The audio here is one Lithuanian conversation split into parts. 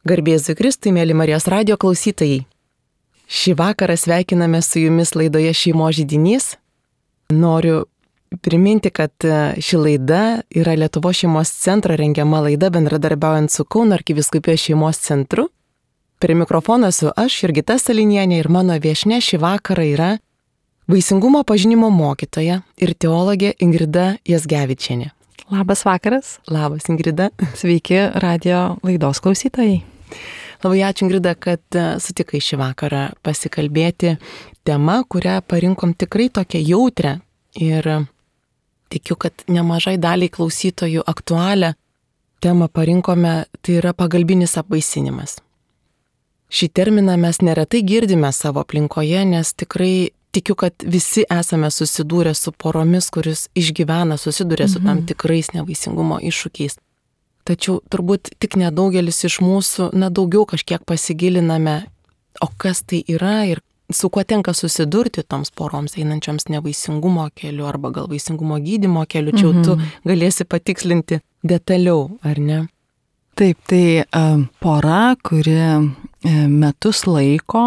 Garbėzui Kristui, mėly Marijos radijo klausytojai. Šį vakarą sveikiname su jumis laidoje Šeimos židinys. Noriu priminti, kad ši laida yra Lietuvos šeimos centro rengiama laida bendradarbiaujant su Kauno arkivyskupijos šeimos centru. Prie mikrofono esu aš, Jurgita Salinienė, ir mano viešnia šį vakarą yra vaisingumo pažinimo mokytoja ir teologė Ingrida Jazgevičienė. Labas vakaras. Labas, Ingrida. Sveiki radio laidos klausytojai. Labai ačiū, Ingrida, kad sutikai šį vakarą pasikalbėti tema, kurią parinkom tikrai tokią jautrę ir tikiu, kad nemažai daliai klausytojų aktualią temą parinkome, tai yra pagalbinis apvaisinimas. Šį terminą mes neretai girdime savo aplinkoje, nes tikrai tikiu, kad visi esame susidūrę su poromis, kuris išgyvena, susiduria su tam tikrais nevaisingumo iššūkiais. Tačiau turbūt tik nedaugelis iš mūsų, daugiau kažkiek pasigiliname, o kas tai yra ir su kuo tenka susidurti toms poroms einančioms nevaisingumo keliu arba gal vaisingumo gydymo keliu. Čia tu galėsi patikslinti detaliau, ar ne? Taip, tai pora, kuri metus laiko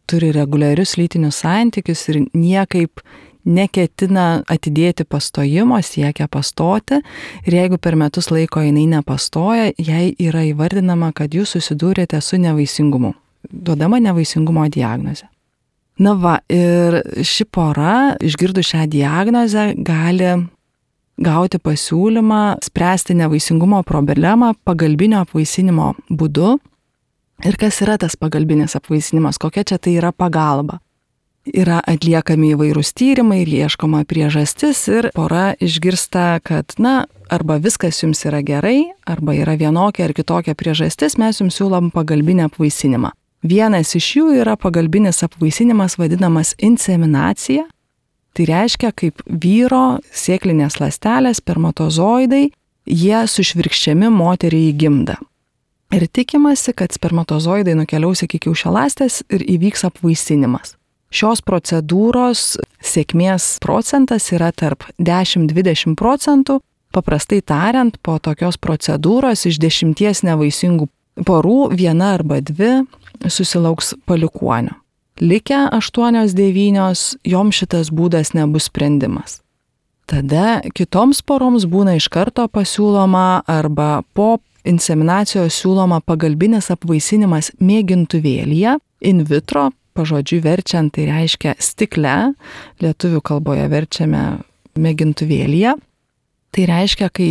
turi reguliarius lytinius santykius ir niekaip neketina atidėti pastojimo, siekia pastoti, ir jeigu per metus laiko jinai nepastoja, jai yra įvardinama, kad jūs susidūrėte su nevaisingumu, duodama nevaisingumo diagnozė. Na va, ir ši pora, išgirdus šią diagnozę, gali gauti pasiūlymą spręsti nevaisingumo problemą pagalbinio apvaisinimo būdu. Ir kas yra tas pagalbinis apvaisinimas, kokia čia tai yra pagalba? Yra atliekami įvairūs tyrimai ir ieškoma priežastis ir pora išgirsta, kad arba viskas jums yra gerai, arba yra vienokia ar kitokia priežastis, mes jums siūlom pagalbinį apvaisinimą. Vienas iš jų yra pagalbinis apvaisinimas vadinamas inseminacija. Tai reiškia, kaip vyro sėklinės ląstelės, spermatozoidai, jie sušvirkščiami moteriai į gimdą. Ir tikimasi, kad spermatozoidai nukeliaus iki kiaušialąstės ir įvyks apvaisinimas. Šios procedūros sėkmės procentas yra tarp 10-20%. Paprastai tariant, po tokios procedūros iš 10 nevaisingų porų 1 arba 2 susilauks palikuonio. Likę 8-9, joms šitas būdas nebus sprendimas. Tada kitoms poroms būna iš karto pasiūloma arba po inseminacijos siūloma pagalbinis apvaisinimas mėgintuvėlyje, in vitro, pažodžiui verčiant, tai reiškia stikle, lietuvių kalboje verčiame mėgintuvėlyje. Tai reiškia, kai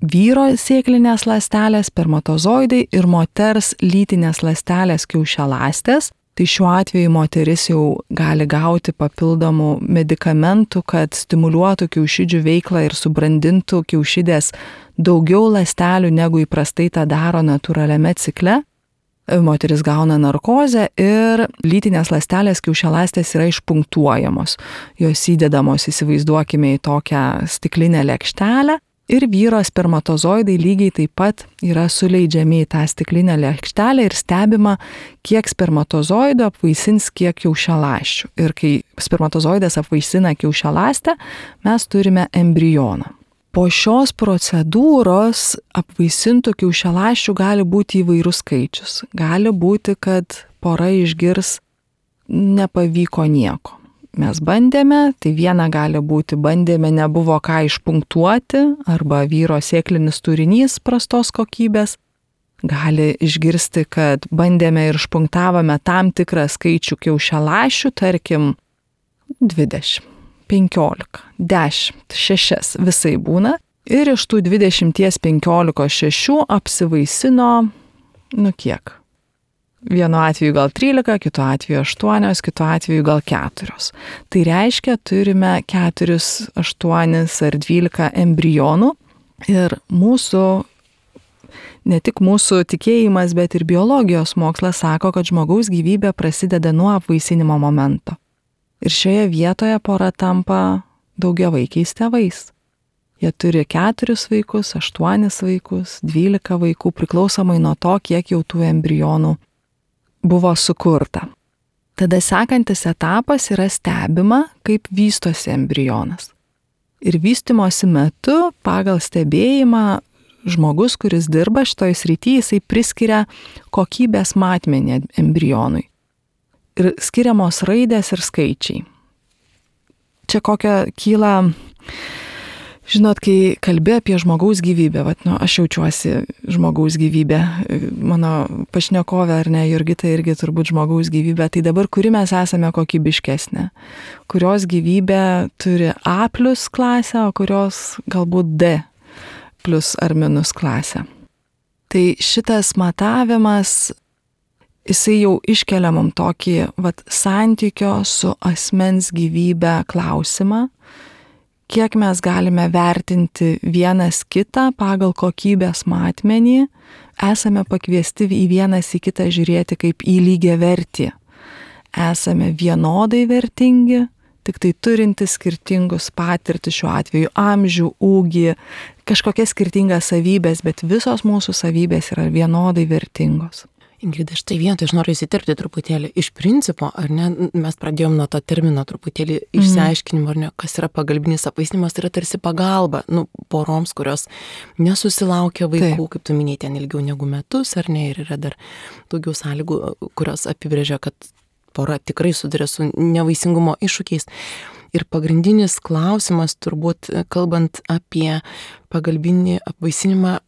vyro sėklinės ląstelės, spermatozoidai ir moters lytinės ląstelės kiaušialąstės, tai šiuo atveju moteris jau gali gauti papildomų medikamentų, kad stimuliuotų kiaušidžių veiklą ir subrandintų kiaušidės daugiau ląstelių, negu įprastai tą daro natūraliame cikle. Moteris gauna narkozę ir lytinės ląstelės kiaušialąstės yra išpunktuojamos. Jos įdedamos, įsivaizduokime, į tokią stiklinę lėkštelę ir vyro spermatozoidai lygiai taip pat yra suleidžiami į tą stiklinę lėkštelę ir stebima, kiek spermatozoidų apvaisins kiek kiaušialąsčių. Ir kai spermatozoidas apvaisina kiaušialąstę, mes turime embrioną. Po šios procedūros apvaisintų kiaušialąsčių gali būti įvairus skaičius. Gali būti, kad pora išgirs nepavyko nieko. Mes bandėme, tai viena gali būti, bandėme, nebuvo ką išpunktuoti, arba vyro sėklinis turinys prastos kokybės. Gali išgirsti, kad bandėme ir išpunktavome tam tikrą skaičių kiaušialąsčių, tarkim 20. 15, 10, 6 visai būna. Ir iš tų 20-15 6 apsivaisino, kiek? Vienu atveju gal 13, kitu atveju 8, kitu atveju gal 4. Tai reiškia, turime 4, 8 ar 12 embrionų. Ir ne tik mūsų tikėjimas, bet ir biologijos mokslas sako, kad žmogaus gyvybė prasideda nuo apvaisinimo momento. Ir šioje vietoje pora tampa daugiavaikiais tėvais. Jie turi 4 vaikus, 8 vaikus, 12 vaikų, priklausomai nuo to, kiek jau tų embrionų buvo sukurta. Tada sekantis etapas yra stebima, kaip vystosi embrionas. Ir vystymosi metu pagal stebėjimą žmogus, kuris dirba šitoj srity, jisai priskiria kokybės matmenį embrionui. Ir skiriamos raidės ir skaičiai. Čia kokia kyla, žinot, kai kalbė apie žmogaus gyvybę, aš jaučiuosi žmogaus gyvybę, mano pašnekovė ar ne, Jurgita irgi turbūt žmogaus gyvybė, tai dabar kuri mes esame kokybiškesnė, kurios gyvybė turi A+ klasę, o kurios galbūt D+ ar minus klasę. Tai šitas matavimas, jisai jau iškelia mum tokį santykio su asmens gyvybe klausimą, kiek mes galime vertinti vienas kitą pagal kokybės matmenį, esame pakviesti į vienas į kitą žiūrėti kaip į lygiavertį. Esame vienodai vertingi, tik tai turinti skirtingus patirtis, šiuo atveju amžių, ūgį, kažkokias skirtingas savybės, bet visos mūsų savybės yra vienodai vertingos. Ingrida, štai vietoj aš noriu įsiterpti truputėlį. Iš principo, ar ne, mes pradėjom nuo to termino truputėlį išsiaiškinimo, ar ne, kas yra pagalbinis apvaisinimas, tai yra tarsi pagalba, poroms, kurios nesusilaukia vaikų, kaip tu minėjai, ten ilgiau negu metus, ar ne, ir yra dar daugiau sąlygų, kurios apibrėžia, kad pora tikrai susiduria su nevaisingumo iššūkiais. Ir pagrindinis klausimas, turbūt, kalbant apie pagalbinį apvaisinimą,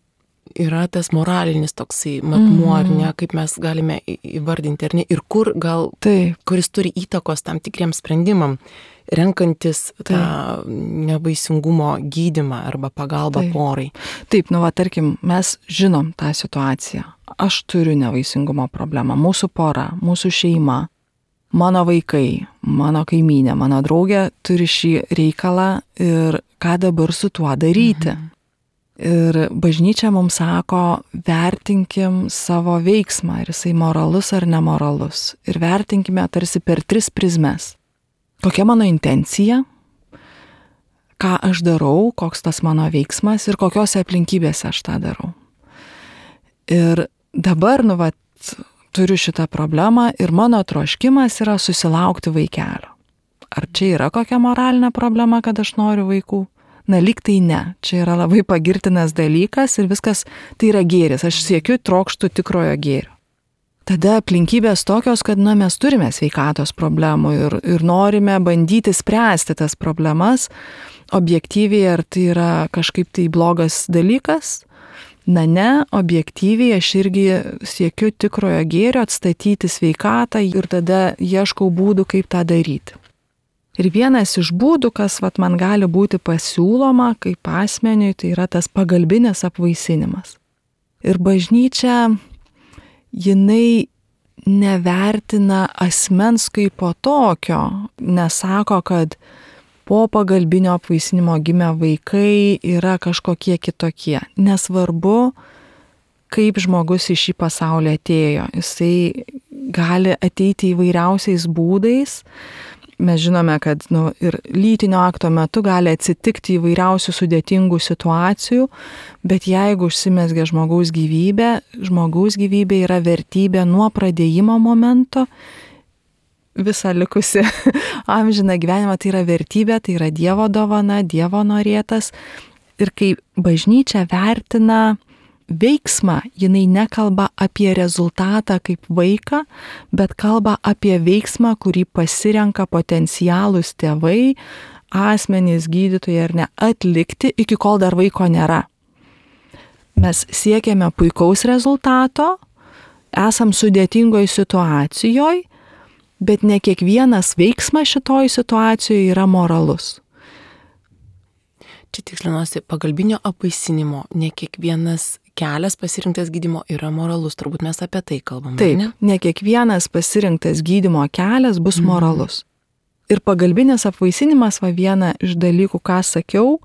yra tas moralinis toksai matmuo, ar ne, kaip mes galime įvardinti, ar ne, ir kuris turi įtakos tam tikriems sprendimam, renkantis tą nevaisingumo gydymą arba pagalbą porai. Taip, tarkim, mes žinom tą situaciją. Aš turiu nevaisingumo problemą, mūsų pora, mūsų šeima, mano vaikai, mano kaimynė, mano draugė turi šį reikalą ir ką dabar su tuo daryti. Ir bažnyčia mums sako, vertinkim savo veiksmą, ar jisai moralus ar nemoralus. Ir vertinkime tarsi per 3 prizmes. Kokia mano intencija, ką aš darau, koks tas mano veiksmas ir kokiose aplinkybėse aš tą darau. Ir dabar, turiu šitą problemą ir mano troškimas yra susilaukti vaikelio. Ar čia yra kokia moralinė problema, kad aš noriu vaikų? Lyg tai ne. Čia yra labai pagirtinas dalykas ir viskas tai yra gėris. Aš siekiu, trokštu tikrojo gėrio. Tada aplinkybės tokios, kad mes turime sveikatos problemų ir norime bandyti spręsti tas problemas objektyviai, ar tai yra kažkaip tai blogas dalykas. Ne, objektyviai aš irgi siekiu tikrojo gėrio, atstatyti sveikatą ir tada ieškau būdų, kaip tą daryti. Ir vienas iš būdų, kas man gali būti pasiūloma kaip asmeniui, tai yra tas pagalbinis apvaisinimas. Ir bažnyčia, jinai nevertina asmens kaip po tokio, nesako, kad po pagalbinio apvaisinimo gimę vaikai yra kažkokie kitokie. Nesvarbu, kaip žmogus į šį pasaulį atėjo. Jisai gali ateiti įvairiausiais būdais. Mes žinome, kad ir lytinio akto metu gali atsitikti įvairiausių sudėtingų situacijų, bet jeigu užsimezgia žmogaus gyvybė yra vertybė nuo pradėjimo momento, visą likusi amžiną gyvenimą, tai yra vertybė, tai yra Dievo dovana, Dievo norėtas. Ir kai bažnyčia vertina veiksmą, jinai nekalba apie rezultatą kaip vaiką, bet kalba apie veiksmą, kurį pasirenka potencialūs tėvai, asmenys, gydytojai ar ne, atlikti, iki kol dar vaiko nėra. Mes siekiame puikaus rezultato, esam sudėtingoj situacijoje, bet ne kiekvienas veiksmas šitoj situacijoje yra moralus. Čia tikslinuosi, pagalbinio apvaisinimo ne kiekvienas kelias pasirinktas gydymo yra moralus, turbūt mes apie tai kalbame. Taip, ne kiekvienas pasirinktas gydymo kelias bus moralus. Ir pagalbinis apvaisinimas, viena iš dalykų, ką sakiau,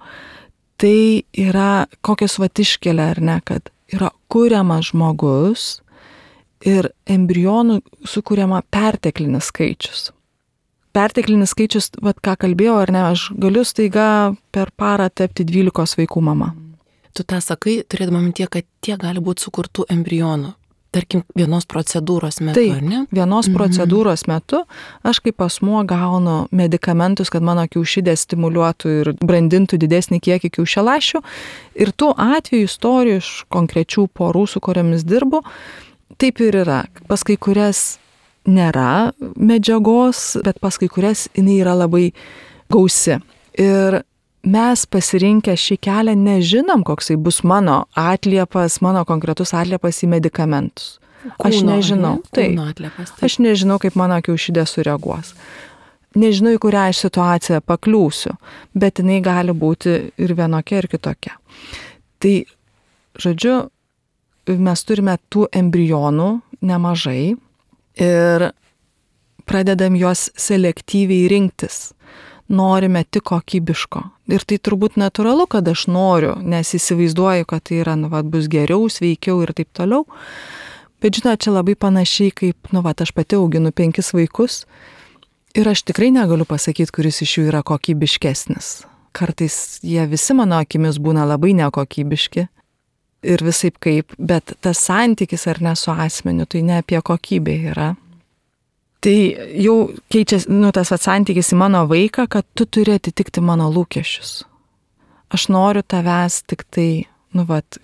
tai yra kokios iškelia, ar ne, kad yra kuriamas žmogus ir embrionų sukuriama perteklinis skaičius. Perteklinis skaičius, ką kalbėjau, ar ne, aš galiu staiga per parą tapti 12 vaikų mama. Tu tą sakai, turėdama mintyje, kad tiek gali būti sukurtų embrionų. tarkim, vienos procedūros metu, Taip, ar ne? Vienos procedūros metu aš kaip asmuo gaunu medikamentus, kad mano kiaušidė stimuliuotų ir brandintų didesnį kiekį kiaušialąsčių. Ir tų atvejų istorijų iš konkrečių porų, su kuriamis dirbu, taip ir yra. Pas kai kurias nėra medžiagos, bet pas kai kurias jinai yra labai gausi. Ir mes pasirinkę šį kelią nežinom, koksai bus mano atliepas, mano konkretus atliepas į medikamentus. Aš nežinau. Aš nežinau, kaip mano kiaušidė sureaguos. Nežinau, į kurią aš situaciją pakliūsiu, bet jinai gali būti ir vienokia, ir kitokia. Tai, žodžiu, mes turime tų embrionų nemažai ir pradedam juos selektyviai rinktis. Norime tik kokybiško. Ir tai turbūt natūralu, kad aš noriu, nes įsivaizduoju, kad tai yra, bus geriau, sveikiau ir taip toliau. Bet žinot, čia labai panašiai kaip, aš pati auginu 5 vaikus ir aš tikrai negaliu pasakyti, kuris iš jų yra kokybiškesnis. Kartais jie visi mano akimis būna labai nekokybiški ir visaip kaip, bet tas santykis ar ne su asmeniu, tai ne apie kokybę yra. Tai jau keičiasi, tas santykis į mano vaiką, kad tu turi atitikti mano lūkesčius. Aš noriu tavęs tik tai,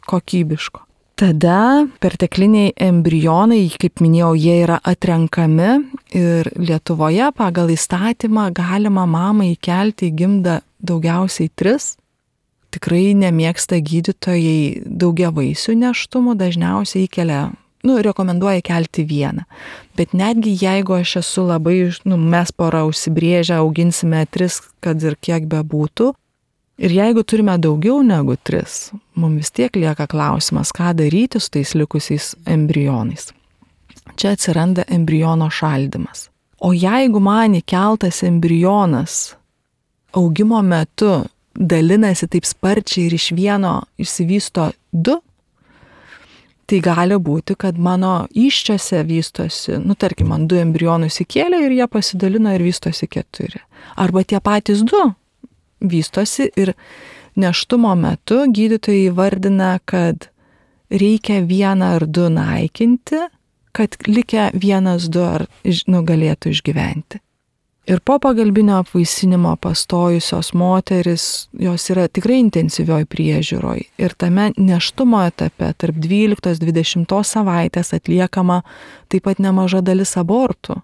kokybiško. Tada pertekliniai embrionai, kaip minėjau, jie yra atrenkami ir Lietuvoje pagal įstatymą galima mamai įkelti į gimdą daugiausiai 3. Tikrai nemėgsta gydytojai daugiavaisių nėštumų, dažniausiai įkelia, rekomenduoja kelti 1. Bet netgi jeigu aš esu labai, mes pora užsibrėžę, auginsime 3, kad ir kiek bebūtų, ir jeigu turime daugiau negu 3, mums vis tiek lieka klausimas, ką daryti su tais likusiais embrionais. Čia atsiranda embriono šaldymas. O jeigu man įkeltas embrionas augimo metu dalinasi taip sparčiai ir iš vieno išsivysto 2, tai gali būti, kad mano įsčiose vystosi, tarkim, man 2 embrionus įkėlė ir jie pasidalino ir vystosi 4. Arba tie patys 2 vystosi ir nėštumo metu gydytojai įvardina, kad reikia 1 ar 2 naikinti, kad likę 1-2 galėtų išgyventi. Ir po pagalbinio apvaisinimo pastojusios moteris, jos yra tikrai intensyvioj priežiūroj. Ir tame nėštumo etape tarp 12-20 savaitės atliekama taip pat nemaža dalis abortų,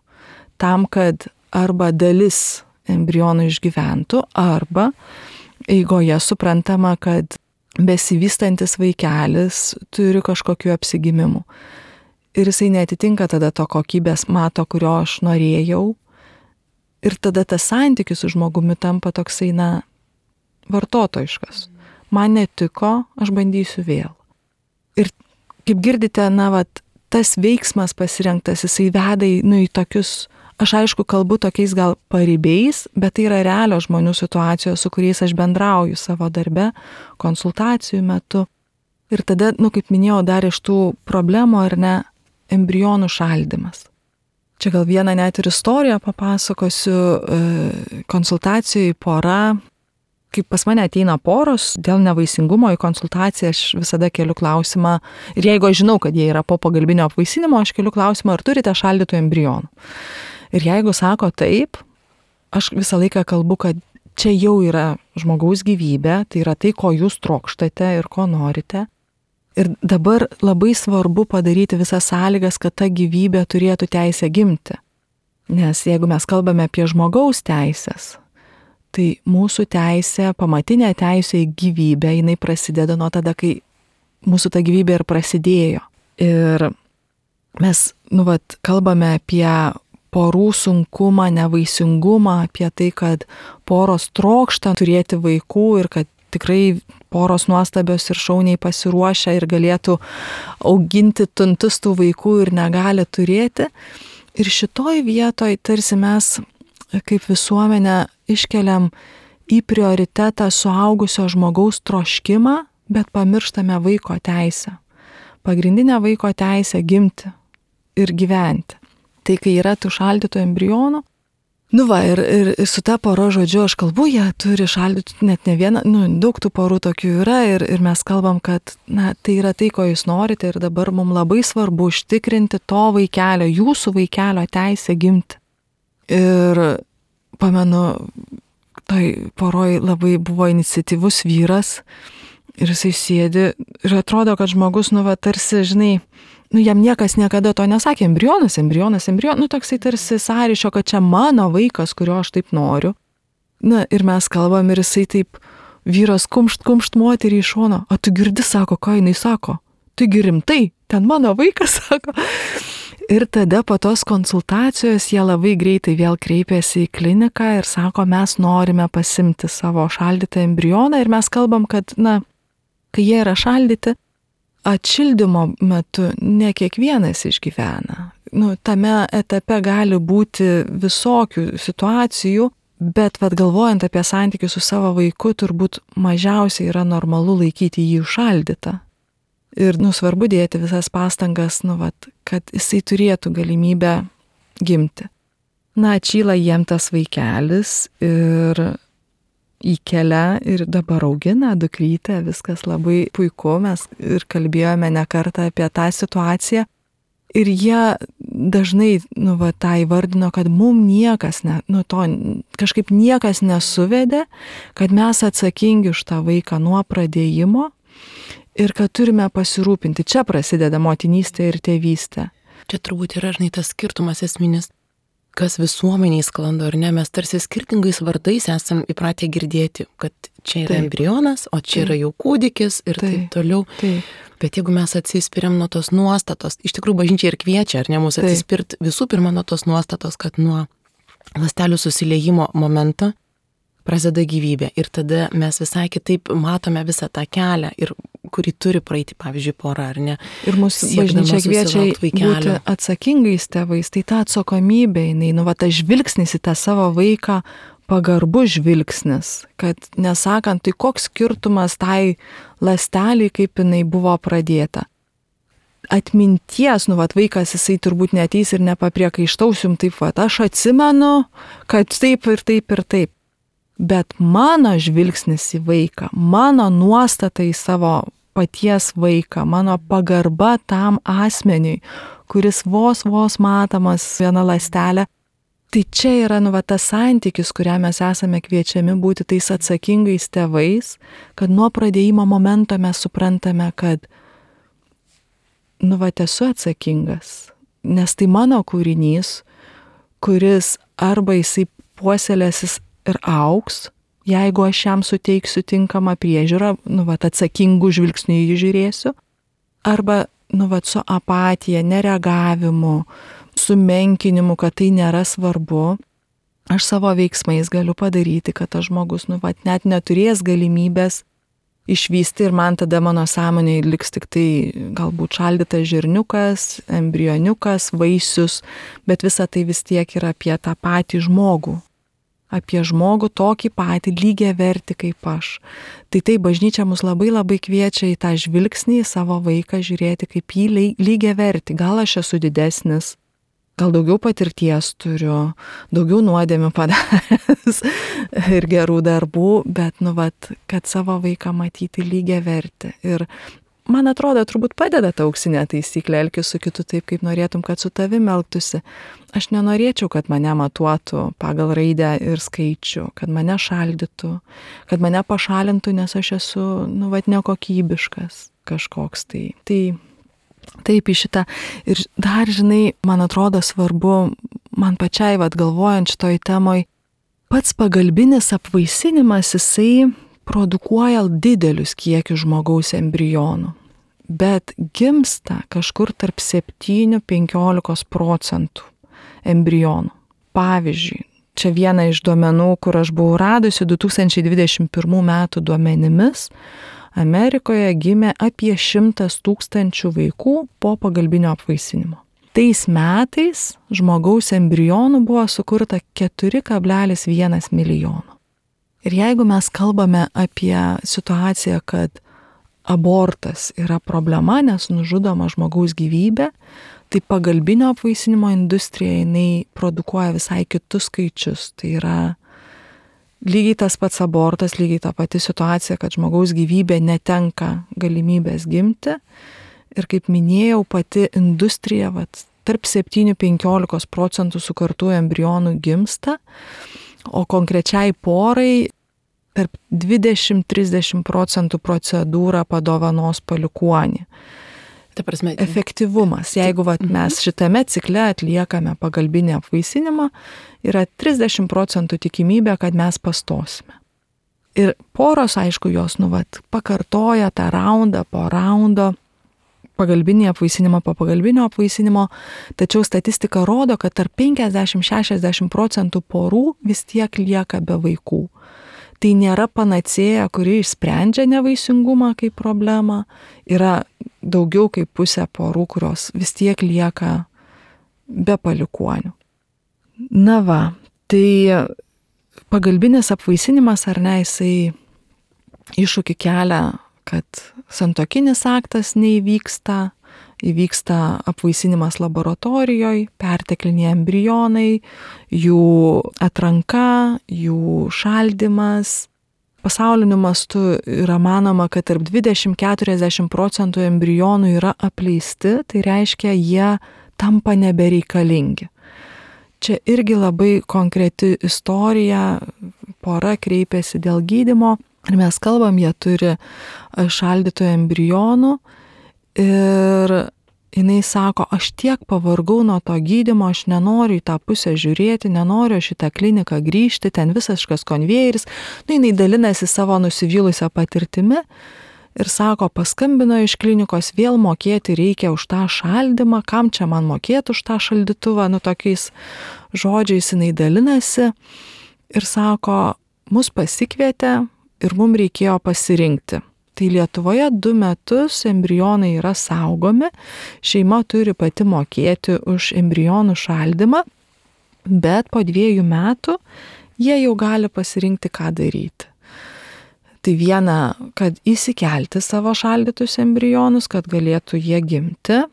tam, kad arba dalis embrionų išgyventų, arba eigoje suprantama, kad besivystantis vaikelis turi kažkokių apsigimimų. Ir jisai neatitinka tada to kokybės mato, kurio aš norėjau. Ir tada tas santykis su žmogumi tampa toksai, vartotojiškas. Man netiko, aš bandysiu vėl. Ir kaip girdite, tas veiksmas pasirinktas, jisai veda į tokius, aš aišku kalbu tokiais gal paribiais, bet tai yra realios žmonių situacijos, su kuriais aš bendrauju savo darbe, konsultacijų metu. Ir tada, kaip minėjau, dar iš tų problemų ar ne, embrionų šaldymas. Čia gal vieną net ir istoriją papasakosiu, konsultacijai pora, kaip pas mane ateina poros, dėl nevaisingumo į konsultaciją aš visada keliu klausimą, ir jeigu aš žinau, kad jie yra po pagalbinio apvaisinimo, aš keliu klausimą, ar turite šaldytų embrionų. Ir jeigu sako taip, aš visą laiką kalbu, kad čia jau yra žmogaus gyvybė, tai yra tai, ko jūs trokštate ir ko norite. Ir dabar labai svarbu padaryti visas sąlygas, kad ta gyvybė turėtų teisę gimti. Nes jeigu mes kalbame apie žmogaus teisės, tai mūsų teisė, pamatinė teisė į gyvybę, jinai prasideda nuo tada, kai mūsų ta gyvybė ir prasidėjo. Ir mes, kalbame apie porų sunkumą, nevaisingumą, apie tai, kad poros trokšta turėti vaikų ir kad tikrai poros nuostabios ir šauniai pasiruošę ir galėtų auginti tuntus tų vaikų ir negali turėti. Ir šitoj vietoj tarsi mes kaip visuomenė iškeliam į prioritetą suaugusio žmogaus troškimą, bet pamirštame vaiko teisę. Pagrindinė vaiko teisė gimti ir gyventi. Tai kai yra tų šaldytų embrionų, Nu va, ir su ta pora, žodžiu, aš kalbu, jie turi šaldyti net ne vieną, daug tų porų tokių yra ir mes kalbam, kad, tai yra tai, ko jūs norite ir dabar mums labai svarbu užtikrinti to vaikelio, jūsų vaikelio teisę gimti. Ir pamenu, tai poroj labai buvo iniciatyvus vyras ir jisai sėdi ir atrodo, kad žmogus, tarsi, žinai, jam niekas niekada to nesakė, embrionas, toksai tarsi sąryšio, kad čia mano vaikas, kurio aš taip noriu. Ir mes kalbam ir jisai taip, vyras kumšt moterį iš šono, o tu girdi, sako, ką jinai sako, taigi rimtai, ten mano vaikas, sako. Ir tada po tos konsultacijos jie labai greitai vėl kreipėsi į kliniką ir sako, mes norime pasimti savo šaldytą embrioną ir mes kalbam, kad, kai jie yra šaldyti, atšildymo metu ne kiekvienas išgyvena. Tame etape gali būti visokių situacijų, bet galvojant apie santykius su savo vaiku, turbūt mažiausiai yra normalu laikyti jį užšaldytą. Ir svarbu dėti visas pastangas, kad jisai turėtų galimybę gimti. Atšyla jiem tas vaikelis ir įkelia ir dabar augina dukrytę, viskas labai puiku, mes ir kalbėjome ne kartą apie tą situaciją ir jie dažnai, tą įvardino, kad mum niekas, kažkaip niekas nesuvedė, kad mes atsakingi už tą vaiką nuo pradėjimo ir kad turime pasirūpinti. Čia prasideda motinystė ir tėvystė. Čia turbūt yra, tas skirtumas esminis, kas visuomeniai sklando, ar ne, mes tarsi skirtingais vardais esam įpratę girdėti, kad čia yra embrionas, o čia yra jau kūdikis ir taip toliau. Bet jeigu mes atsispiriam nuo tos nuostatos, iš tikrųjų bažnyčia ir kviečia, ar ne, mūsų atsispirt visų pirma nuo tos nuostatos, kad nuo ląstelių susiliejimo momento prasideda gyvybė ir tada mes visai kitaip matome visą tą kelią, ir kurį turi praeiti, pavyzdžiui, pora, ar ne. Ir mūsų bažnyčia kviečia būti atsakingais tėvais, tai ta atsakomybė, tas žvilgsnis į tą savo vaiką, pagarbus žvilgsnis, kad nesakant, tai koks skirtumas tai ląsteliai, kaip jinai buvo pradėta. Atminties, vaikas jisai turbūt neateis ir nepapriekaištausim taip, aš atsimenu, kad taip ir taip ir taip. Bet mano žvilgsnis į vaiką, mano nuostata į savo paties vaiką, mano pagarba tam asmeniui, kuris vos matomas viena ląstelė, tai čia yra tas santykis, kurią mes esame kviečiami būti tais atsakingais tėvais, kad nuo pradėjimo momento mes suprantame, kad esu atsakingas, nes tai mano kūrinys, kuris arba jisai puoselėsis ir auks, jeigu aš jam suteiksiu tinkamą priežiūrą, atsakingų žvilgsnių jį žiūrėsiu, arba, su apatija, nereagavimu, sumenkinimu, kad tai nėra svarbu, aš savo veiksmais galiu padaryti, kad tas žmogus, net neturės galimybės išvysti ir man tada mano sąmonėje liks tik tai galbūt šaldytas žirniukas, embrioniukas, vaisius, bet visa tai vis tiek yra apie tą patį žmogų. Apie žmogų tokį patį lygiavertį kaip aš. Tai bažnyčia mus labai kviečia į tą žvilgsnį, į savo vaiką žiūrėti kaip jį lygiavertį. Gal aš esu didesnis, gal daugiau patirties turiu, daugiau nuodėmių padaręs ir gerų darbų, bet, kad savo vaiką matyti lygiavertį. Ir man atrodo, turbūt padeda ta auksinė taisyklė, elkis su kitu taip, kaip norėtum, kad su tavim elgtųsi. Aš nenorėčiau, kad mane matuotų pagal raidę ir skaičių, kad mane šaldytų, kad mane pašalintų, nes aš esu, nekokybiškas kažkoks tai. Tai taip į šitą. Ir dar, man atrodo svarbu, man pačiai galvojant šitoj temoj, pats pagalbinis apvaisinimas, jisai produkuoja didelius kiekius žmogaus embrionų, bet gimsta kažkur tarp 7–15% embrionų. Pavyzdžiui, čia viena iš duomenų, kur aš buvau radusi 2021 metų duomenimis, Amerikoje gimė apie 100 000 vaikų po pagalbinio apvaisinimo. Tais metais žmogaus embrionų buvo sukurta 4,1 milijono. Ir jeigu mes kalbame apie situaciją, kad abortas yra problema, nes nužudoma žmogaus gyvybė, Tai pagalbinio apvaisinimo industrija, jinai produkuoja visai kitus skaičius. Tai yra lygiai tas pats abortas, lygiai ta pati situacija, kad žmogaus gyvybė netenka galimybės gimti. Ir kaip minėjau, pati industrija, tarp 7–15% sukartų embrionų gimsta, o konkrečiai porai tarp 20–30% procedūrą padovanos palikuonį. Ta prasme, efektyvumas. Jeigu mes šitame cikle atliekame pagalbinį apvaisinimą, yra 30% tikimybė, kad mes pastosime. Ir poros, aišku, jos pakartoja tą raundą po raundo, pagalbinį apvaisinimą po pagalbinio apvaisinimo, tačiau statistika rodo, kad tarp 50–60% porų vis tiek lieka be vaikų. Tai nėra panacėja, kuri išsprendžia nevaisingumą kaip problemą. Yra daugiau kaip pusė porų, kurios vis tiek lieka be palikuonių. Na va, tai pagalbinis apvaisinimas, ar ne, jisai iššūkį kelia, kad santuokinis aktas neįvyksta, įvyksta apvaisinimas laboratorijoje, pertekliniai embrionai, jų atranka, jų šaldymas. Pasauliniu mastu yra manoma, kad tarp 20–40% embrionų yra apleisti, tai reiškia, jie tampa nebereikalingi. Čia irgi labai konkreti istorija, pora kreipėsi dėl gydymo. Ir mes kalbam, jie turi šaldytų embrionų ir jinai sako, aš tiek pavargau nuo to gydymo, aš nenoriu į tą pusę žiūrėti, nenoriu šitą kliniką grįžti, ten visiškas konvejeris. Jinai dalinasi savo nusivylusią patirtimi ir sako, paskambino iš klinikos, vėl mokėti reikia už tą šaldymą, kam čia man mokėti už tą šaldytuvą, tokiais žodžiais jinai dalinasi ir sako, mus pasikvietė, ir mums reikėjo pasirinkti. Tai Lietuvoje 2 metus embrionai yra saugomi, šeima turi pati mokėti už embrionų šaldymą, bet po 2 metų jie jau gali pasirinkti, ką daryti. Tai viena, kad įsikelti savo šaldytus embrionus, kad galėtų jie gimti.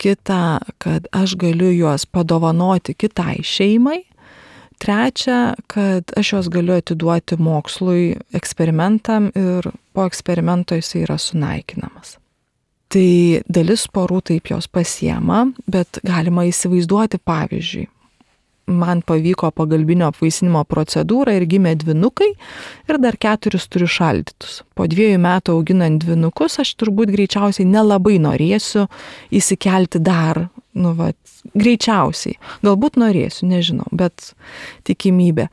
Kita, kad aš galiu juos padovanoti kitai šeimai. Trečia, kad aš juos galiu atiduoti mokslui, eksperimentam ir po eksperimento jisai yra sunaikinamas. Tai dalis porų taip jos pasiema, bet galima įsivaizduoti pavyzdžiui. Man pavyko pagalbinio apvaisinimo procedūrą ir gimė dvynukai ir dar 4 turiu šaldytus. Po 2 metų auginant dvynukus aš turbūt greičiausiai nelabai norėsiu įsikelti dar, greičiausiai. Galbūt norėsiu, nežinau, bet tikimybė.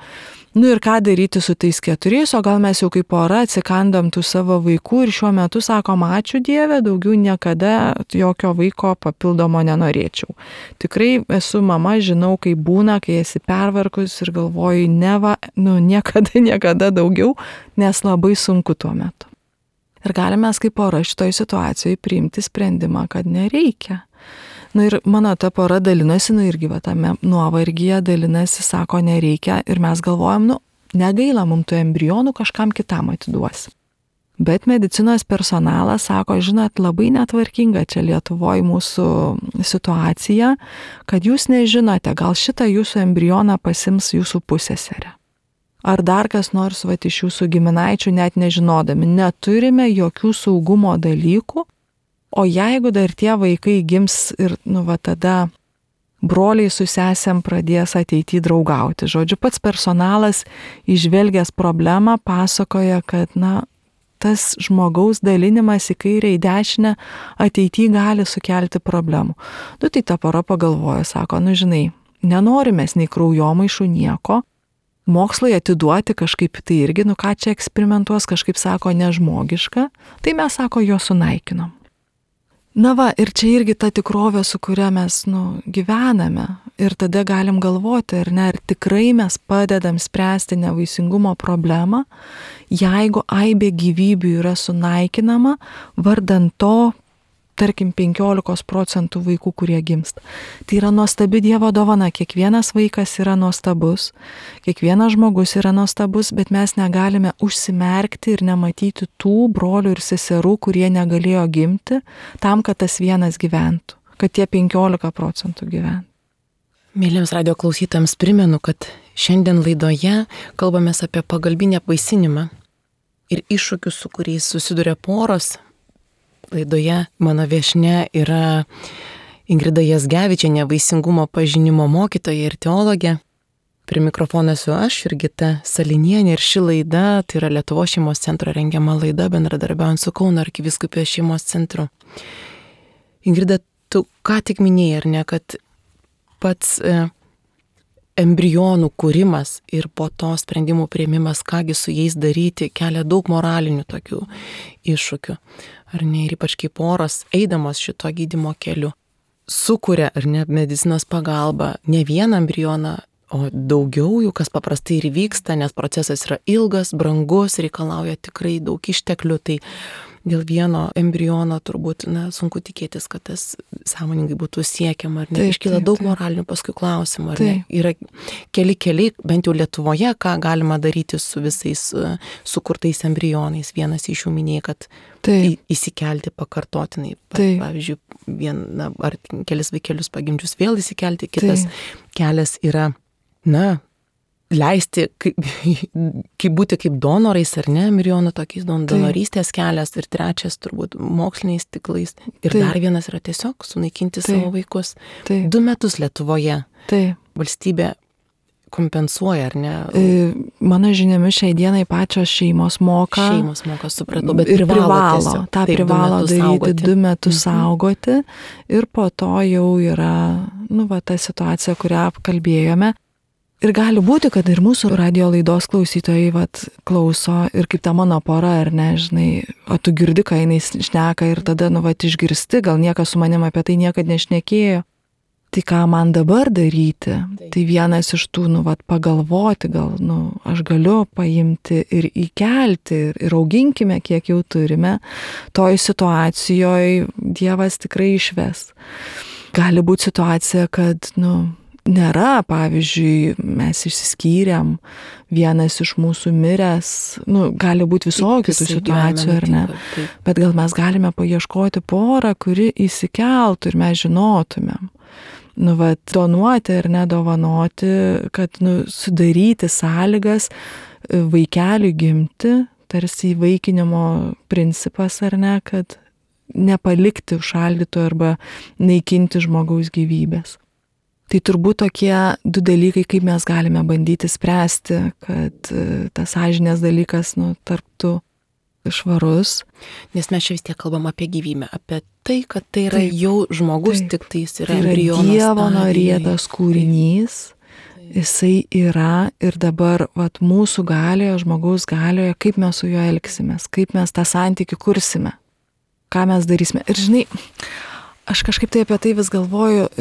Ir ką daryti su tais 4, o gal mes jau kaip pora atsikandom tų savo vaikų ir šiuo metu sakom, ačiū Dieve, daugiau niekada jokio vaiko papildomo nenorėčiau. Tikrai esu mama, žinau, kaip būna, kai esi pervargus ir galvoji, niekada daugiau, nes labai sunku tuo metu. Ir galime kaip pora šitoj situacijoje priimti sprendimą, kad nereikia. Ir mano ta pora dalinasi, irgi tame nuovargyje dalinasi, sako, nereikia ir mes galvojam, negaila mums tų embrionų, kažkam kitam atiduosim. Bet medicinos personalas sako, žinot, labai netvarkinga čia Lietuvoje mūsų situacija, kad jūs nežinote, gal šitą jūsų embrioną pasims jūsų pusseserė. Ar dar kas nors iš jūsų giminaičių net nežinodami, neturime jokių saugumo dalykų. O jeigu dar tie vaikai gims ir, tada broliai su sesėm pradės ateityje draugauti. Žodžiu, pats personalas įžvelgęs problemą pasakoja, kad, tas žmogaus dalinimas į kairę, į dešinę ateityje gali sukelti problemų. Tai ta pora pagalvoja, sako, žinai, nenorime nei kraujomaišų nieko, mokslai atiduoti kažkaip tai irgi, ką čia eksperimentuos, kažkaip sako, nežmogiška, tai mes, sako, jo sunaikinom. Ir čia irgi ta tikrovė, su kuria mes gyvename. Ir tada galim galvoti, ar tikrai mes padedam spręsti nevaisingumo problemą, jeigu aibė gyvybių yra sunaikinama, vardan to, tarkim, 15% vaikų, kurie gimsta. Tai yra nuostabi Dievo dovana, kiekvienas vaikas yra nuostabus, kiekvienas žmogus yra nuostabus, bet mes negalime užsimerkti ir nematyti tų brolių ir seserų, kurie negalėjo gimti, tam, kad tas vienas gyventų, kad tie 15% gyvena. Mėlyms radio klausytojams primenu, kad šiandien laidoje kalbamės apie pagalbinį apvaisinimą ir iššūkius, su kuriais susiduria poros. Laidoje mano viešnia yra Ingrida Jazgevičienė, vaisingumo pažinimo mokytoja ir teologė. Prie mikrofono esu aš, Jurgita Salinienė, ir ši laida, tai yra Lietuvos šeimos centro rengiama laida, bendradarbiaujant su Kauno arkivyskupijos šeimos centru. Ingrida, tu ką tik minėjai, ar ne, kad pats embrionų kūrimas ir po to sprendimų priėmimas, kągi su jais daryti, kelia daug moralinių tokių iššūkių. Ar ne, ir ypač kaip poros, eidamos šito gydymo keliu, sukuria, ar ne, medicinos pagalba ne vieną embrioną, o daugiau jų, kas paprastai ir vyksta, nes procesas yra ilgas, brangus, reikalauja tikrai daug išteklių, tai dėl vieno embriono turbūt sunku tikėtis, kad tas sąmoningai būtų siekiama, ar ne? Iškyla daug moralinių paskui klausimų, ar ne? Yra keli, bent jau Lietuvoje, ką galima daryti su visais sukurtais embrionais. Vienas iš jų minėjo, kad įsikelti pakartotinai. Pavyzdžiui, vieną ar kelis vaikelius pagimdžius vėl įsikelti, kitas kelias yra, leisti, kaip būti kaip donorais, ar ne, embrionų tokiais donorystės kelias, ir trečias turbūt moksliniais tiklais. Ir dar vienas yra tiesiog sunaikinti savo vaikus. 2 metus Lietuvoje valstybė kompensuoja, ar ne? Mano žiniomis šiai dienai pačios šeimos moka. Šeimos moka, supratau, bet ir privalo daryti 2 metus saugoti. Ir po to jau yra, ta situacija, kurią apkalbėjome. Ir gali būti, kad ir mūsų radio laidos klausytojai klauso ir kaip ta mano pora, ar ne, žinai, o tu girdi, ką jinai šneka ir tada, išgirsti, gal niekas su manim apie tai niekad nešnekėjo. Tai ką man dabar daryti? Tai vienas iš tų, pagalvoti, gal, aš galiu paimti ir įkelti ir auginkime, kiek jau turime. Toj situacijoje Dievas tikrai išves. Gali būti situacija, kad, nėra, pavyzdžiui, mes išsiskyrėm, vienas iš mūsų miręs, gali būti visokių situacijų, ar ne, bet gal mes galime paieškoti porą, kuri įsikeltų ir mes žinotumėm. Donuoti ar nedovanoti, kad sudaryti sąlygas vaikeliui gimti, tarsi įvaikinimo principas, ar ne, kad nepalikti užšaldyto arba naikinti žmogaus gyvybės. Tai turbūt tokie 2 dalykai, kaip mes galime bandyti spręsti, kad tas sąžinės dalykas, tarptų švarus. Nes mes čia vis tiek kalbam apie gyvybę, apie tai, kad tai yra jau žmogus, tik tai jis yra embriono stadijoje. Dievo norėtas kūrinys, jisai yra ir dabar mūsų galioje, žmogaus galioje, kaip mes su juo elgsimės, kaip mes tą santykį kursime, ką mes darysime. Ir žinai, aš kažkaip tai apie tai vis galvoju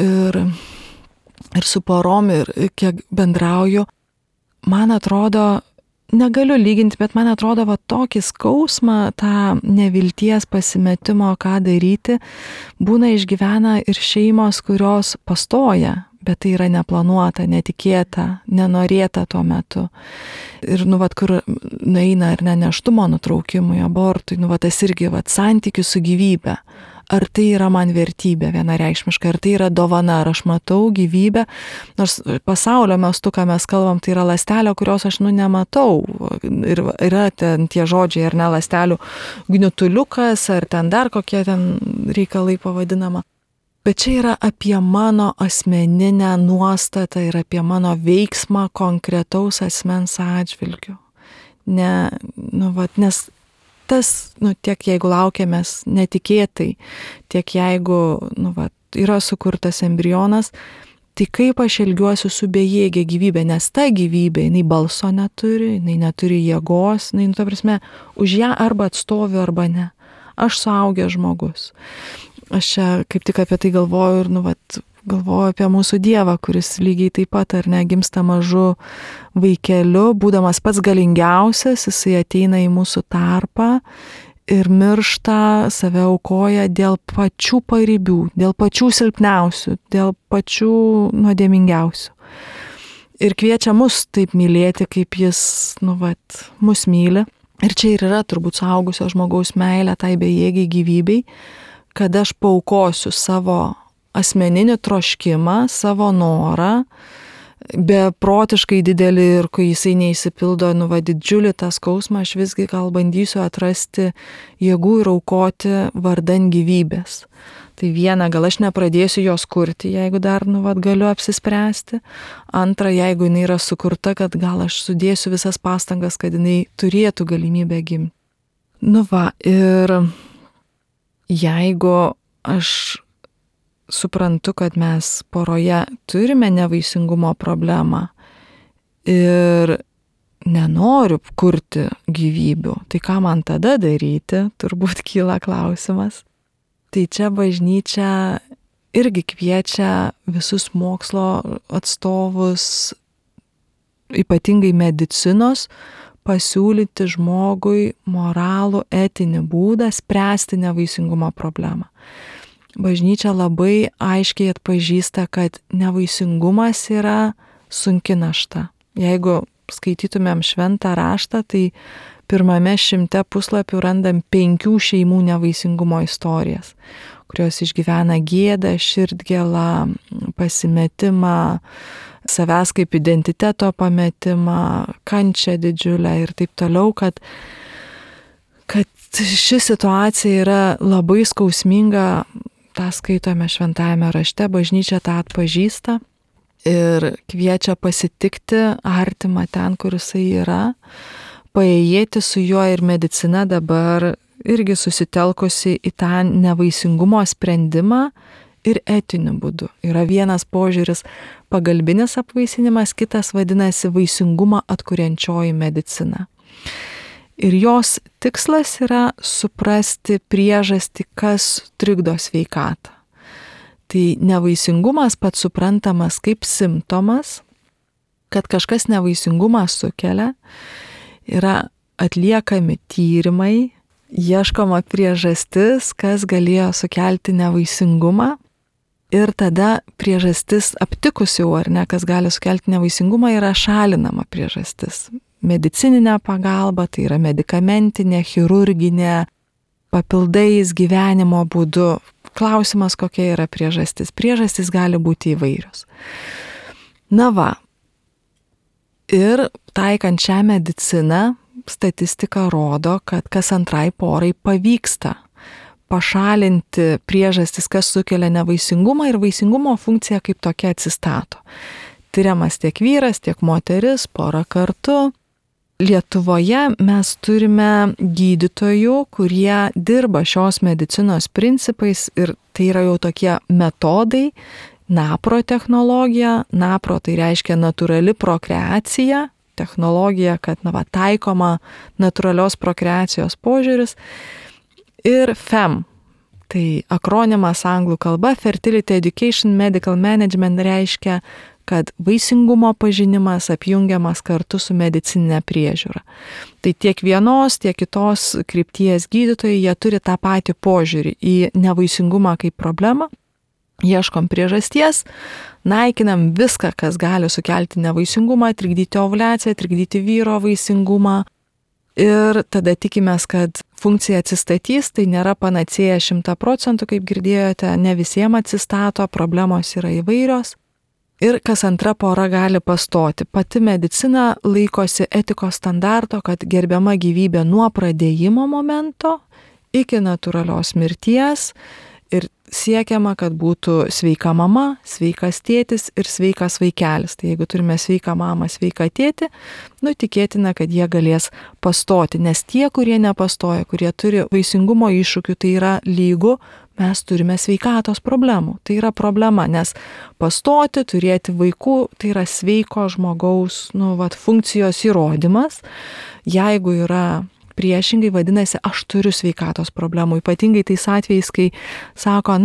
ir su porom, ir kiek bendrauju, man atrodo, negaliu lyginti, bet man atrodo, tokį skausmą, tą nevilties pasimetimo, ką daryti, būna išgyvena ir šeimos, kurios pastoja, bet tai yra neplanuota, netikėta, nenorėta tuo metu. Ir, kur nueina ar ne nėštumo nutraukimui, abortui, tas irgi, santykis su gyvybe. Ar tai yra man vertybė vienareikšmiška, ar tai yra dovana, ar aš matau gyvybę, nors pasaulio mastu, ką mes kalbam, tai yra ląstelė, kurios aš nematau. Ir yra ten tie žodžiai, ar ne, ląstelių gniutuliukas, ar ten dar kokie ten reikalai pavadinama. Bet čia yra apie mano asmeninę nuostatą ir apie mano veiksmą konkretaus asmens atžvilgiu. Nes tas, tiek jeigu laukiamės netikėtai, tiek jeigu, yra sukurtas embrionas, tai kaip aš elgiuosi su bejėgė gyvybė, nes ta gyvybė, jinai balso neturi, jinai neturi jėgos, ta prasme, už ją arba atstoviu, arba ne. Aš suaugęs žmogus. Aš čia kaip tik apie tai galvoju ir, galvoju apie mūsų Dievą, kuris lygiai taip pat, ar ne, gimsta mažu vaikeliu, būdamas pats galingiausias, jisai ateina į mūsų tarpą ir miršta, save aukoja dėl pačių paribių, dėl pačių silpniausių, dėl pačių nuodėmingiausių. Ir kviečia mus taip mylėti, kaip jis, mus myli. Ir čia ir yra turbūt suaugusio žmogaus meilė tai bejėgiai gyvybei, kad aš paaukosiu savo asmeninį troškimą, savo norą, beprotiškai didelį ir kai jisai neįsipildo, didžiulį tą skausmą, aš visgi gal bandysiu atrasti jėgų ir aukoti vardan gyvybės. Tai viena, gal aš nepradėsiu jos kurti, jeigu dar, galiu apsispręsti. Antra, jeigu jinai yra sukurta, kad gal aš sudėsiu visas pastangas, kad jinai turėtų galimybę gimti. Ir jeigu aš suprantu, kad mes poroje turime nevaisingumo problemą ir nenoriu kurti gyvybių, tai ką man tada daryti, turbūt kyla klausimas. Tai čia bažnyčia irgi kviečia visus mokslo atstovus, ypatingai medicinos, pasiūlyti žmogui moralų, etinį būdą spręsti nevaisingumo problemą. Bažnyčia labai aiškiai atpažįsta, kad nevaisingumas yra sunki našta. Jeigu skaitytumėm šventą raštą, tai pirmame 100 puslapių randam 5 šeimų nevaisingumo istorijas, kurios išgyvena gėdą, širdgėlą, pasimetimą, savęs kaip identiteto pametimą, kančią didžiulę ir taip toliau, kad ši situacija yra labai skausminga. tą skaitome šventajame rašte, bažnyčia tą atpažįsta ir kviečia pasitikti artimą ten, kur jisai yra, paėjėti su juo, ir medicina dabar irgi susitelkusi į tą nevaisingumo sprendimą ir etiniu būdu. Yra vienas požiūris pagalbinis apvaisinimas, kitas vadinasi vaisingumą atkuriančioji medicina. Ir jos tikslas yra suprasti priežastį, kas trikdo sveikatą. Tai nevaisingumas pats suprantamas kaip simptomas, kad kažkas nevaisingumą sukelia, yra atliekami tyrimai, ieškoma priežastis, kas galėjo sukelti nevaisingumą, ir tada priežastis aptikus jau, ar ne, kas gali sukelti nevaisingumą, yra šalinama priežastis. Medicininė pagalba, tai yra medikamentinė, chirurginė, papildais, gyvenimo būdu. Klausimas, kokia yra priežastis. Priežastis gali būti įvairios. Na va, ir taikant šią mediciną, statistika rodo, kad kas antrai porai pavyksta pašalinti priežastis, kas sukelia nevaisingumą, ir vaisingumo funkcija kaip tokia atsistato. Tyriamas tiek vyras, tiek moteris, porą kartų. Lietuvoje mes turime gydytojų, kurie dirba šios medicinos principais, ir tai yra jau tokie metodai, NAPRO technologija. NAPRO tai reiškia natūrali prokreacija, technologija, kad taikoma natūralios prokreacijos požiūris. Ir FEM, tai akronimas anglų kalba, Fertility Education Medical Management, reiškia, kad vaisingumo pažinimas apjungiamas kartu su medicininė priežiūra. Tai tiek vienos, tiek kitos krypties gydytojai, jie turi tą patį požiūrį į nevaisingumą kaip problemą. Ieškom priežasties, naikinam viską, kas gali sukelti nevaisingumą, trikdyti ovuliaciją, trikdyti vyro vaisingumą. Ir tada tikimės, kad funkcija atsistatys. Tai nėra panacėja 100%, kaip girdėjote, ne visiems atsistato, problemos yra įvairios. Ir kas antra pora gali pastoti. Pati medicina laikosi etikos standarto, kad gerbiama gyvybė nuo pradėjimo momento iki natūralios mirties, ir siekiama, kad būtų sveika mama, sveikas tėtis ir sveikas vaikelis. Tai jeigu turime sveiką mamą, sveiką tėtį, tikėtina, kad jie galės pastoti, nes tie, kurie nepastoja, kurie turi vaisingumo iššūkių, tai yra lygu, mes turime sveikatos problemų. Tai yra problema, nes pastoti, turėti vaikų, tai yra sveiko žmogaus, funkcijos įrodymas. Jeigu yra priešingai, vadinasi, aš turiu sveikatos problemų. Ypatingai tais atvejais, kai sako,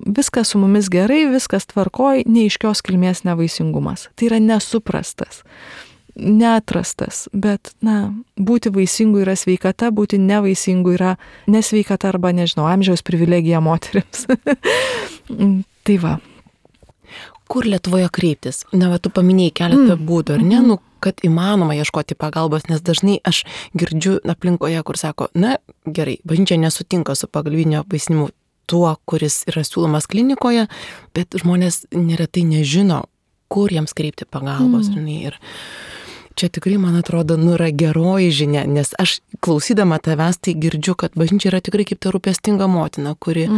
viskas su mumis gerai, viskas tvarkoj, neaiškios kilmės nevaisingumas. Tai yra nesuprastas, neatrastas, bet, būti vaisingu yra sveikata, būti nevaisingu yra nesveikata arba, amžiaus privilegija moterims. Tai va. Kur Lietuvoje kreiptis? Tu paminėjai keletą būdų, ar ne? Kad įmanoma ieškoti pagalbos, nes dažnai aš girdžiu aplinkoje, kur sako, gerai, bažnyčia nesutinka su pagalbinio apvaisinimu. tuo, kuris yra siūlomas klinikoje, bet žmonės neretai nežino, kur jiems kreipti pagalbos. Ir čia tikrai, man atrodo, yra geroji žinia, nes aš klausydama tavęs tai girdžiu, kad bažnyčia yra tikrai kaip ta rūpestinga motina, kuri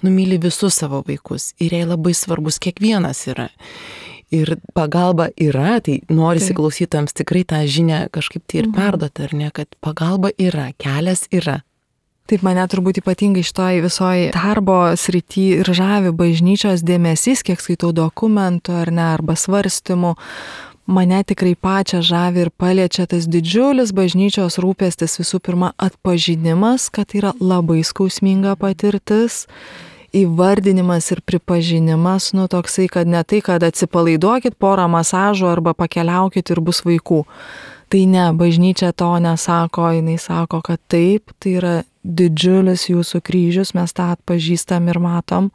myli visus savo vaikus ir jai labai svarbus kiekvienas yra. Ir pagalba yra, tai norisi klausytams tikrai tą žinią kažkaip tai ir perduoti, ar ne, kad pagalba yra, kelias yra. Taip, mane turbūt ypatingai šitoj visoji darbo srity ir žavi bažnyčios dėmesys, kiek skaitau dokumentų ar ne, arba svarstymų. Mane tikrai pačią žavi ir paliečia tas didžiulis bažnyčios rūpestis, visų pirma atpažinimas, kad yra labai skausminga patirtis, įvardinimas ir pripažinimas, toksai, kad ne tai, kad atsipalaiduokit porą masažų arba pakeliaukit ir bus vaikų. Tai ne, bažnyčia to nesako, jinai sako, kad taip, tai yra didžiulis jūsų kryžius, mes tą atpažįstam ir matom,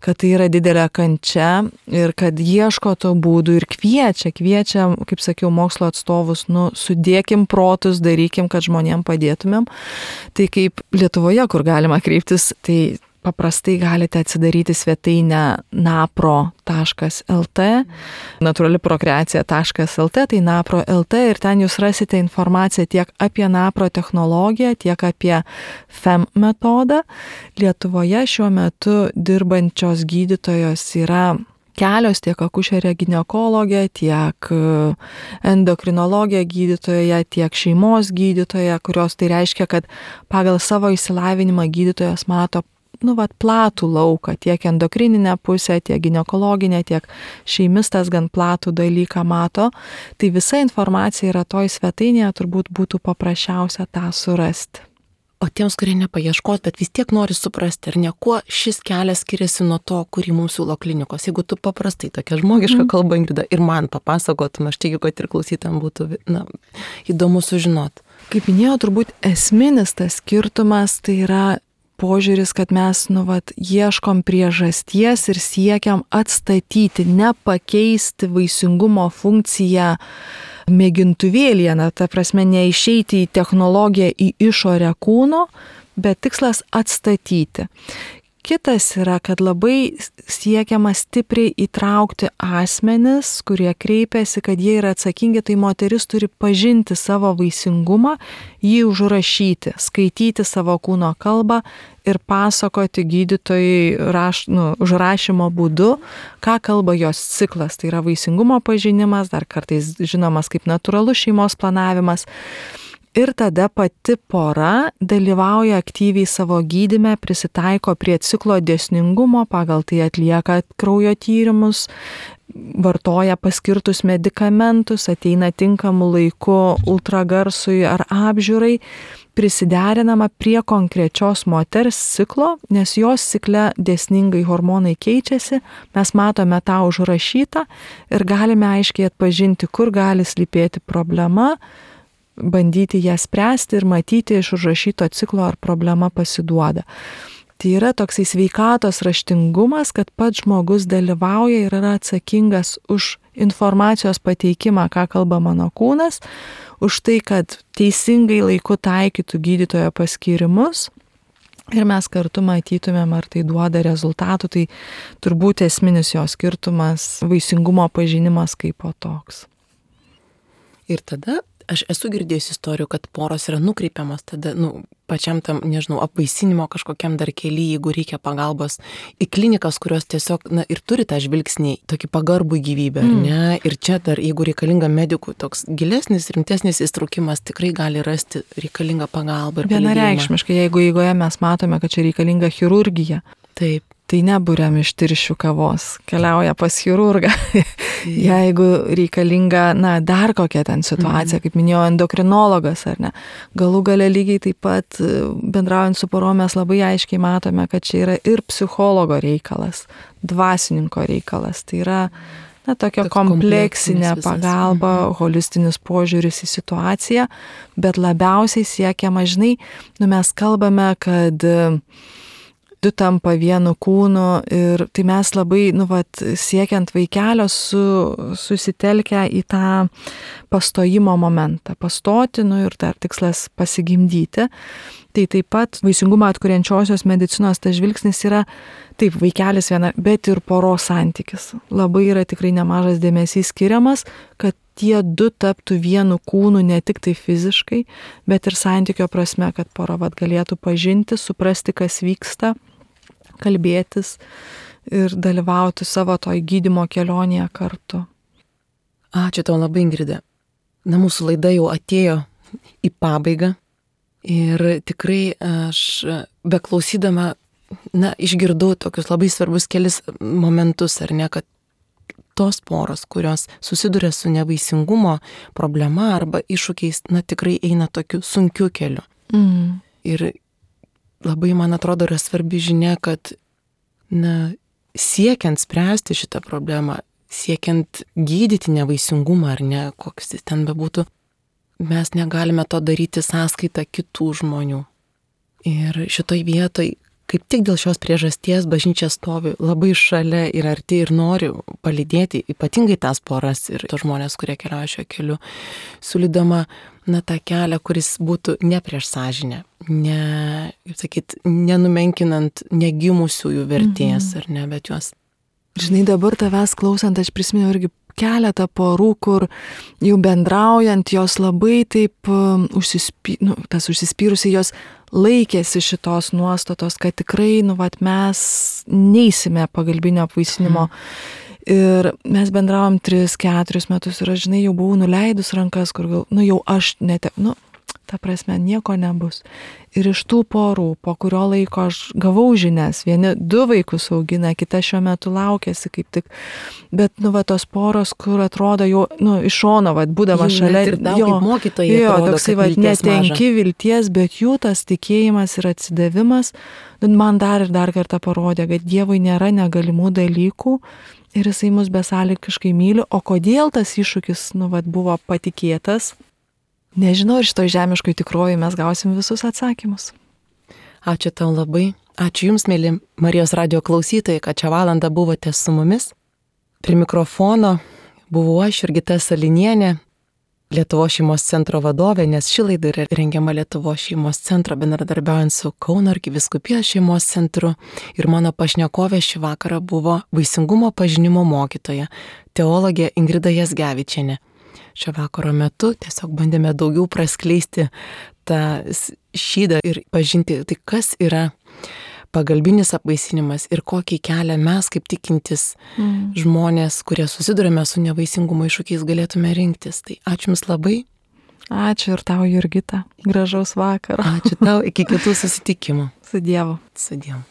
kad tai yra didelė kančia ir kad ieško to būdų ir kviečia, kaip sakiau, mokslo atstovus, sudėkim protus, darykim, kad žmonėm padėtumėm. Tai kaip Lietuvoje, kur galima kreiptis, tai paprastai galite atsidaryti svetainę napro.lt, naturaliprokreacija.lt, tai napro.lt ir ten jūs rasite informaciją tiek apie napro technologiją, tiek apie FEM metodą. Lietuvoje šiuo metu dirbančios gydytojos yra kelios, tiek akušerė ginekologė, tiek endokrinologė gydytoja, tiek šeimos gydytoja, kurios tai reiškia, kad pagal savo išsilavinimą gydytojas mato platų lauką, tiek endokrininę pusę, tiek ginekologinę, tiek šeimistas gan platų dalyką mato. Tai visa informacija yra toj svetainėje, turbūt būtų paprasčiausia tą surasti. O tiems, kurie nepaieškos, bet vis tiek nori suprasti, ar ne, kuo šis kelias skiriasi nuo to, kurį mums siūlo klinikos. Jeigu tu paprastai tokia žmogiška kalba, Ingrida, ir man papasakotum, aš tikiu, kad ir klausytam būtų įdomu sužinoti. Kaip minėjau, turbūt esminis tas skirtumas tai yra požiūris, kad mes ieškom priežasties ir siekiam atstatyti, nepakeisti vaisingumo funkciją mėgintuvėlyje, ta prasme neišeiti į technologiją į išorę kūno, bet tikslas atstatyti. Kitas yra, kad labai siekiama stipriai įtraukti asmenis, kurie kreipiasi, kad jie yra atsakingi, tai moteris turi pažinti savo vaisingumą, jį užrašyti, skaityti savo kūno kalbą ir pasakoti gydytojai užrašymo būdu, ką kalba jos ciklas. Tai yra vaisingumo pažinimas, dar kartais žinomas kaip natūralus šeimos planavimas. Ir tada pati pora dalyvauja aktyviai savo gydyme, prisitaiko prie ciklo dėsningumo, pagal tai atlieka kraujo tyrimus, vartoja paskirtus medikamentus, ateina tinkamu laiku ultragarsui ar apžiūrai, prisiderinama prie konkrečios moters ciklo, nes jos cikle dėsningai hormonai keičiasi, mes matome tą užrašytą ir galime aiškiai atpažinti, kur gali slypėti problema, bandyti ją spręsti ir matyti iš užrašyto ciklo, ar problema pasiduoda. Tai yra toksai sveikatos raštingumas, kad pats žmogus dalyvauja ir yra atsakingas už informacijos pateikimą, ką kalba mano kūnas, už tai, kad teisingai laiku taikytų gydytojo paskyrimus ir mes kartu matytumėm, ar tai duoda rezultatų. Tai turbūt esminis jo skirtumas vaisingumo pažinimas kaip po toks. Ir tada aš esu girdėjus istorijų, kad poros yra nukreipiamas tada, pačiam tam, apvaisinimo kažkokiam dar kely, jeigu reikia pagalbos į klinikas, kurios tiesiog, ir turi tą žvilgsnį, tokį pagarbų gyvybę, ar ne? Ir čia dar, jeigu reikalinga medikų toks gilesnis, rimtesnis įstraukimas, tikrai gali rasti reikalingą pagalbą ir palydėjimą. Vienareikšmiškai, jeigu eigoje mes matome, kad čia reikalinga chirurgija. Taip. Tai neburiam iš tirščių kavos, keliauja pas chirurgą. Jeigu reikalinga, dar kokia ten situacija, kaip minėjau, endokrinologas ar ne. Galų gale lygiai taip pat bendraujant su porom mes labai aiškiai matome, kad čia yra ir psichologo reikalas, dvasininko reikalas. Tai yra tokia kompleksinė pagalba, holistinis požiūris į situaciją, bet labiausiai siekiama, mes kalbame, kad du tampa vienu kūnu ir tai mes labai, siekiant vaikelio susitelkę į tą pastojimo momentą. Pastoti, ir dar tikslas pasigimdyti. Tai taip pat vaisingumą atkuriančiosios medicinos tas žvilgsnis yra taip, vaikelis viena, bet ir poros santykis. Labai yra tikrai nemažas dėmesys skiriamas, kad tie du taptų vienu kūnu ne tik tai fiziškai, bet ir santykio prasme, kad pora galėtų pažinti, suprasti, kas vyksta, kalbėtis ir dalyvauti savo toj gydymo kelionėje kartu. Ačiū tau labai, Ingrida. Na, mūsų laida jau atėjo į pabaigą ir tikrai aš beklausydama, išgirdau tokius labai svarbus kelis momentus, ar ne, kad tos poros, kurios susiduria su nevaisingumo problema arba iššūkiais, tikrai eina tokiu sunkiu keliu. Ir labai, man atrodo, yra svarbi žinia, kad, siekiant spręsti šitą problemą, siekiant gydyti nevaisingumą ar ne, koks jis ten bebūtų, mes negalime to daryti sąskaitą kitų žmonių. Ir šitoj vietoj, kaip tik dėl šios priežasties, bažnyčia stovi labai šalia ir arti ir nori palydėti ypatingai tas poras ir tos žmonės, kurie keliauja šio keliu, siūlydama tą kelią, kuris būtų ne prieš sąžinę, nenumenkinant negimusiųjų vertės, ar ne, bet juos. Žinai, dabar tavęs klausant, aš prisimenu irgi keletą porų, kur jau bendraujant, jos labai taip užsispyrusiai, jos laikėsi šitos nuostatos, kad tikrai, mes neisime pagalbinio apvaisinimo. Ir mes bendravom 3-4 metus ir aš, žinai, jau buvau nuleidus rankas, kur jau aš ta prasme, nieko nebus. Ir iš tų porų, po kurio laiko aš gavau žinias, vieni 2 vaikus augina, kita šiuo metu laukiasi kaip tik, bet, tos poros, kur atrodo jau, iš šono, būdama šalia, toksai, netenki vilties, bet jų tas tikėjimas ir atsidavimas, man dar ir dar kartą parodė, kad Dievui nėra negalimų dalykų ir jisai mus besąlygiškai myli, o kodėl tas iššūkis, buvo patikėtas, nežinau, ir šitoj žemiškoj tikrovėje mes gausim visus atsakymus. Ačiū tau labai. Ačiū Jums, mėly Marijos radijo klausytojai, kad šią valandą buvote su mumis. Prie mikrofono buvau aš, Jurgita Salinienė, Lietuvos šeimos centro vadovė, nes ši laida yra rengiama Lietuvos šeimos centro bendradarbiaujant su Kauno arkivyskupijos šeimos centru. Ir mano pašnekovė šį vakarą buvo vaisingumo pažinimo mokytoja, teologė Ingrida Jazgevičienė. Šio vakaro metu tiesiog bandėme daugiau praskleisti tą šydą ir pažinti, tai kas yra pagalbinis apvaisinimas ir kokį kelią mes kaip tikintis žmonės, kurie susidurime su nevaisingumo iššūkiais, galėtume rinktis. Tai ačiū Jums labai. Ačiū ir tau, Jurgita. Gražaus vakaro. Ačiū tau, iki kitų susitikimų. Su Dievu. Su Dievu.